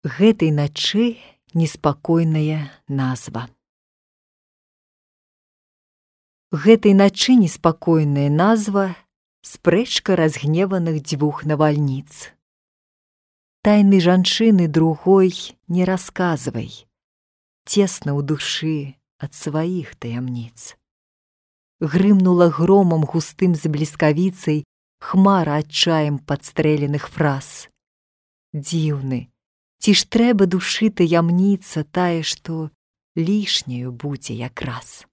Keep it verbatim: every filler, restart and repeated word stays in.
Гэтай начы неспакойная назва. Гэтай начы неспакойная назва спрэчка разгневаных дзвюх навальніц. Тайны жанчыны другой не расказвай, цесна ў душы ад сваіх таямніц. Грымнула громам густым з бліскавіцай хмара адчаем падстрэленых фраз. Дзіўны, ці ж трэба душы таямніца тая, што лішняю будзе якраз.